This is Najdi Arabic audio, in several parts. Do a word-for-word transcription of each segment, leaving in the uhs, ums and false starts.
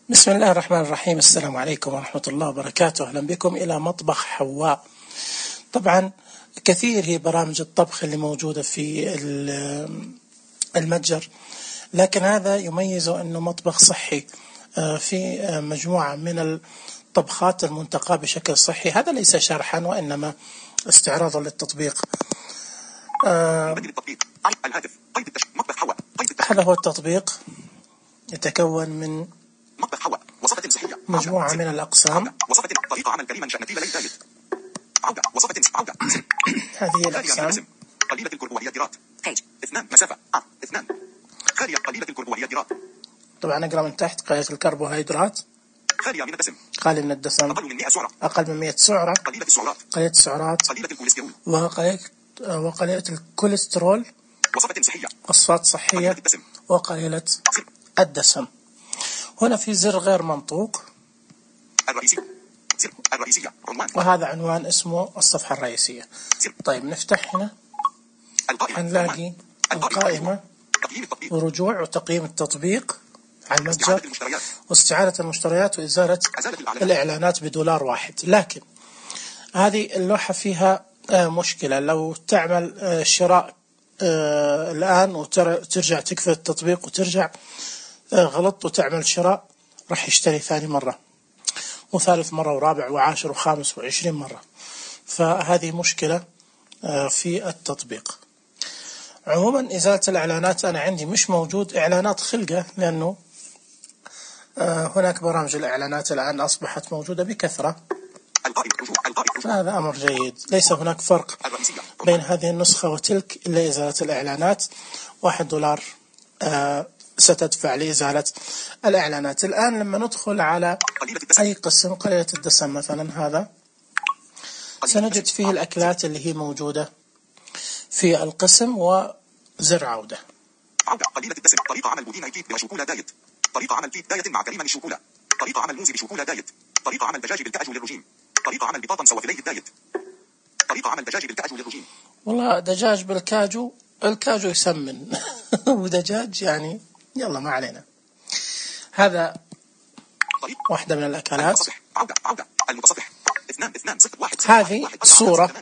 بسم الله الرحمن الرحيم. السلام عليكم ورحمة الله وبركاته. أهلا بكم إلى مطبخ حواء. طبعا كثير هي برامج الطبخ اللي موجودة في المتجر، لكن هذا يميزه أنه مطبخ صحي في مجموعة من الطبخات المنتقاة بشكل صحي. هذا ليس شرحا وإنما استعراضا للتطبيق. هذا هو التطبيق، يتكون من مجموعة من الأقسام. طريقة عمل كريما شأنتي لي دايت. عودة وصفة عودة. هذه الأقسام. قليلة الكربوهيدرات. اثنان مسافة. اثنان. خالية قليلة الكربوهيدرات. طبعا أقرأ من تحت: قليلة الكربوهيدرات. خالية من الدسم. خالية من الدسم. أقل من مئة سعرة. أقل من مئة سعرة. قليلة السعرات. قليلة السعرات. قليلة الكوليسترول. وقليلة وقليلة الكوليسترول. وصفة صحية. وصفات صحية. قليلة الدسم. وقليلة الدسم. هنا في زر غير منطوق. الرئيسي. زر الرئيسية. عنوان. وهذا عنوان اسمه الصفحة الرئيسية. طيب نفتح هنا. هنلاقي القائمة ورجوع وتقييم التطبيق على المتجر واستعادة المشتريات وإزالة الإعلانات بدولار واحد. لكن هذه اللوحة فيها مشكلة. لو تعمل شراء الآن وترجع تقفل التطبيق وترجع غلط وتعمل شراء، راح يشتري ثاني مرة وثالث مرة ورابع وعاشر وخامس وعشرين مرة. فهذه مشكلة في التطبيق. عموما إزالة الإعلانات أنا عندي مش موجود إعلانات خلقة، لأنه هناك برامج الإعلانات الآن أصبحت موجودة بكثرة، فهذا أمر جيد. ليس هناك فرق بين هذه النسخة وتلك إلا إزالة الإعلانات. واحد دولار ستدفع لإزالة الإعلانات. الآن لما ندخل على أي قسم، قليلة الدسم مثلا، هذا سنجد فيه الأكلات اللي هي موجودة في القسم وزر عودة. عودة قليلة الدسم. طريقة عمل بودين كيك بشوكولا دايت. طريقة عمل كيك دايت مع كريمة الشوكولا. طريقة عمل موز بشوكولا دايت. طريقة عمل دجاج بالكاجو للرجيم. طريقة عمل بطاطا سوافلي الدايت. طريقة عمل دجاج بالكاجو للرجيم. والله دجاج بالكاجو، الكاجو يسمن ودجاج يعني يلا ما علينا. هذا واحدة من الأكلات. عودة عودة المتصفح. اثنان اثنان صفر واحد. هذه الصورة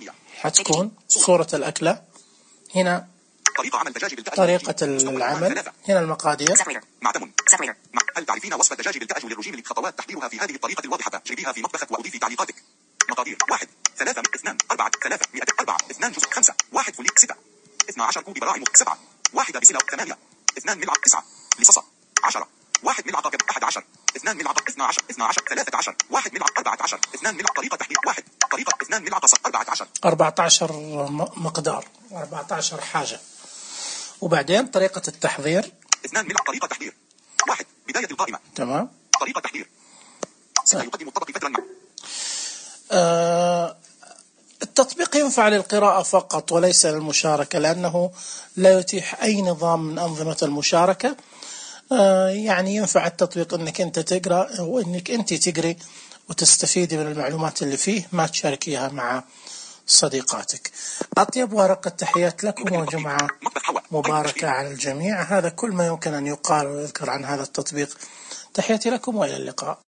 حتكون صورة الأكلة. هنا طريقة عمل دجاج بالكاجو. طريقة العمل. هنا المقادير. معتم. هل تعرفين وصفة دجاج بالكاجو للرجيم؟ خطوات تحضيرها في هذه الطريقة الواضحة. جيبيها في مطبخك وأضيفي تعليقاتك. مقادير: واحد ثلاثة اثنان أربعة ثلاثة مئة أربعة اثنان جزء خمسة واحد فوليك ستة اثنا عشر كوب براعم سبعة واحدة بسلة ثمانية اثنان ملعقة تسعة لصصة عشرة واحد ملعقة كبد أحد عشر اثنان ملعقة اثنا عشر اثنا عشر ثلاثة عشر واحد ملعقة أربعة عشر اثنان ملعقة. طريقة تحضير: واحد طريقة اثنان ملعقة ص أربعة عشر أربعة عشر مقدار أربعة عشر حاجة. وبعدين طريقة التحضير: اثنان ملعقة. طريقة تحضير: واحد بداية القائمة. تمام. طريقة تحضير: سيقدم الطبق فترة ما. آه التطبيق ينفع للقراءة فقط وليس للمشاركة، لأنه لا يتيح أي نظام من أنظمة المشاركة. آه يعني ينفع التطبيق أنك أنت تقرأ وأنك أنت تقري وتستفيدي من المعلومات اللي فيه، ما تشاركيها مع صديقاتك. أطيب ورقة تحيات لكم وجمعة مباركة على الجميع. هذا كل ما يمكن أن يقال ويذكر عن هذا التطبيق. تحياتي لكم وإلى اللقاء.